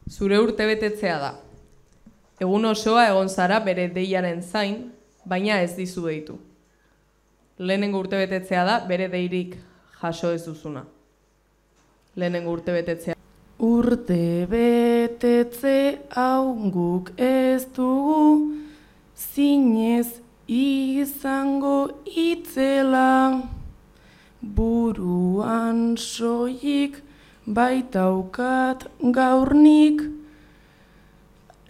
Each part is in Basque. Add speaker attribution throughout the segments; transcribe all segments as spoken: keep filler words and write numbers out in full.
Speaker 1: Zure urtebetetzea da. Egun osoa egon zara bere deiaren zain, baina ez dizu deitu. Lehenengo urtebetetzea da bere deirik jaso ez duzuna. Lehenengo urtebetetzea.
Speaker 2: Urtebetetze hau guk ez dugu, zinez izango itzela, buruan soilik baitaukat gaurnik,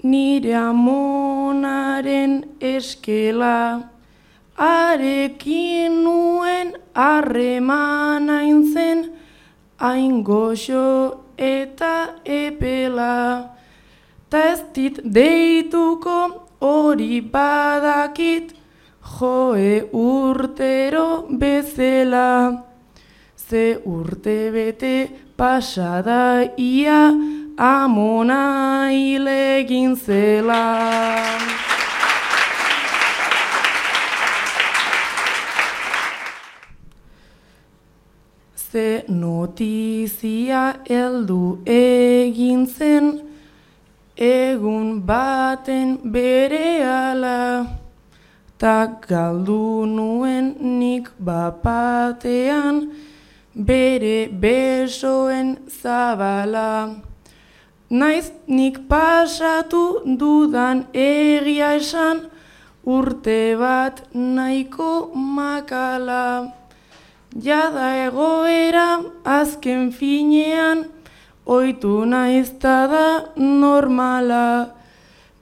Speaker 2: nire amonaren eskela, arekin nuen harreman hain zen, hain goxo eta epela, ta ez dit deituko hori badakit, joe urtero bezela. Ze urte bete pasada ia amona hil egin zela. Ze notizia heldu egin zen, egun baten berehala, ta galdu nuen nik bapatean, bere besoen zabala. Naiz nik pasatu dudan egia esan, urte bat nahiko makala. Jada egoera azken finean, ohitu naizta da normala.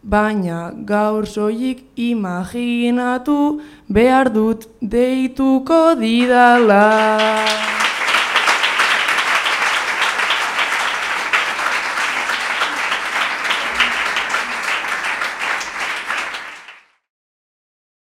Speaker 2: Baina gaur soilik imaginatu behar dut deituko didala.